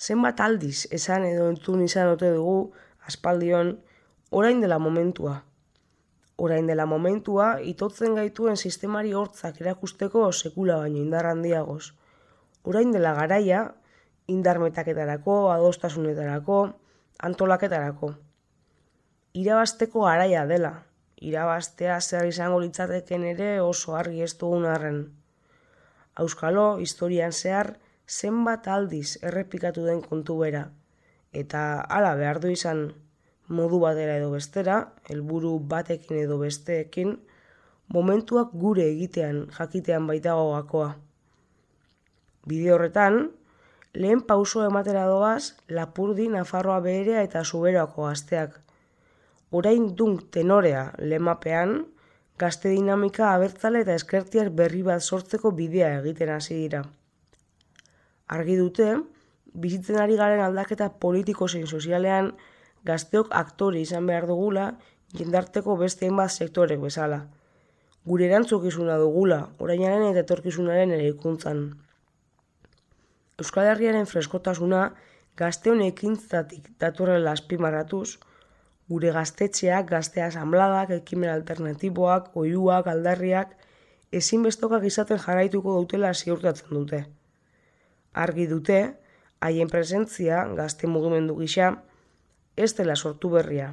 Zenbat aldiz esan edo entzun izan ote dugu aspaldion orain dela momentua. Orain dela momentua itotzen gaituen sistemari hortzak erakusteko sekula baino indar handiagoz. Orain dela garaia indar metaketarako, adostasunetarako, antolaketarako. Irabazteko garaia dela. Irabaztea zer izango litzateken ere oso argi ez dugun arren. Auskalo, historian zehar, zenbat aldiz errepikatu den kontu bera, eta hala behar du izan modu batera edo bestera, helburu batekin edo besteekin, momentuak gure egitean jakitean baitago gakoa. Bide horretan, lehen pauso ematera doaz Lapurdi, Nafarroa Beherea eta Zuberoako gazteak. Orain dunk tenorea lemapean, gazte dinamika abertzale eta eskertiar berri bat sortzeko bidea egiten hasi dira. Argi dute, bizitzen ari garen aldaketa politiko zein sozialean gazteok aktore izan behar dugula jendarteko beste hainbat sektorek bezala. Gure erantzukizuna dugula, orainaren eta etorkizunaren eraikuntzan. Euskal Herriaren freskotasuna gazteon ekintzatik datorrela azpimarratuz, gure gaztetxeak, gazte asanbladak, ekimen alternatiboak, oihuak, aldarriak, ezinbestokak izaten jarraituko dutela ziurtatzen dute. Argi dute, haien presentzia, gazte mugimendu gisa, ez dela sortu berria.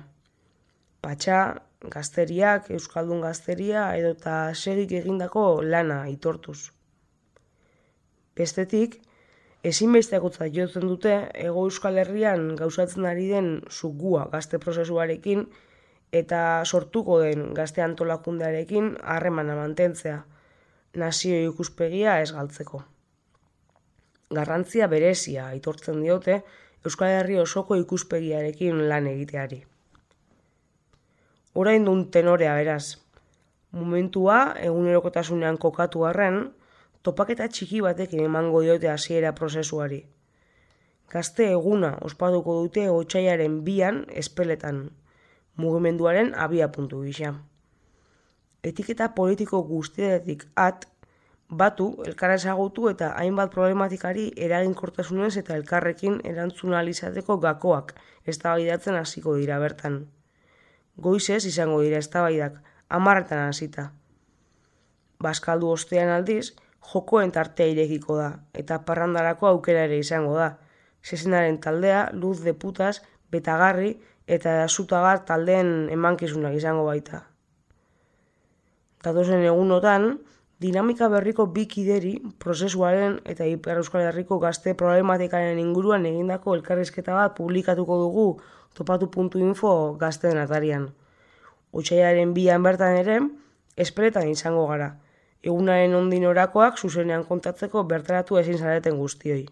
Patxa, gazteriak, euskaldun gazteria edota segik egindako lana aitortuz. Bestetik, ezinbestekotzat jotzen dute Hego Euskal Herrian gauzatzen ari den zugua gazte prozesuarekin eta sortuko den gazte antolakundearekin harremana mantentzea, nazio ikuspegia ez galtzeko. Garrantzia berezia aitortzen diote Euskal Herri osoko ikuspegiarekin lan egiteari. Orain dun tenorea beraz. Momentua egunerokotasunean kokatu arren, topaketa txiki batekin emango diote hasiera prozesuari. Gazte eguna ospatuko dute otsailaren 2an Espeletan, mugimenduaren abiapuntu gisa. Etiketa politiko guztietatik batu, elkar ezagutu eta hainbat problematikari eraginkortasunez eta elkarrekin erantzun ahal izateko gakoak eztabaidatzen hasiko dira bertan. Goizez izango dira eztabaidak, 10etan hasita. Bazkaldu ostean aldiz, jokoen tartea irekiko da, eta parrandarako aukera ere izango da. Zezenaren taldea, Luz de Putas, Betagarri eta Zutagar taldeen emankizunak izango baita. Datozen egunotan, dinamika berriko bi kideri prozesuaren eta Ipar Euskal Herriko gazte problematikaren inguruan egindako elkarrizketa bat publikatuko dugu topatu.info gazteen atarian. Otsailaren 2an bertan ere, Espeletan izango gara. Egunaren ondin orakoak zuzenean kontatzeko bertaratu ezin zareten guztioi.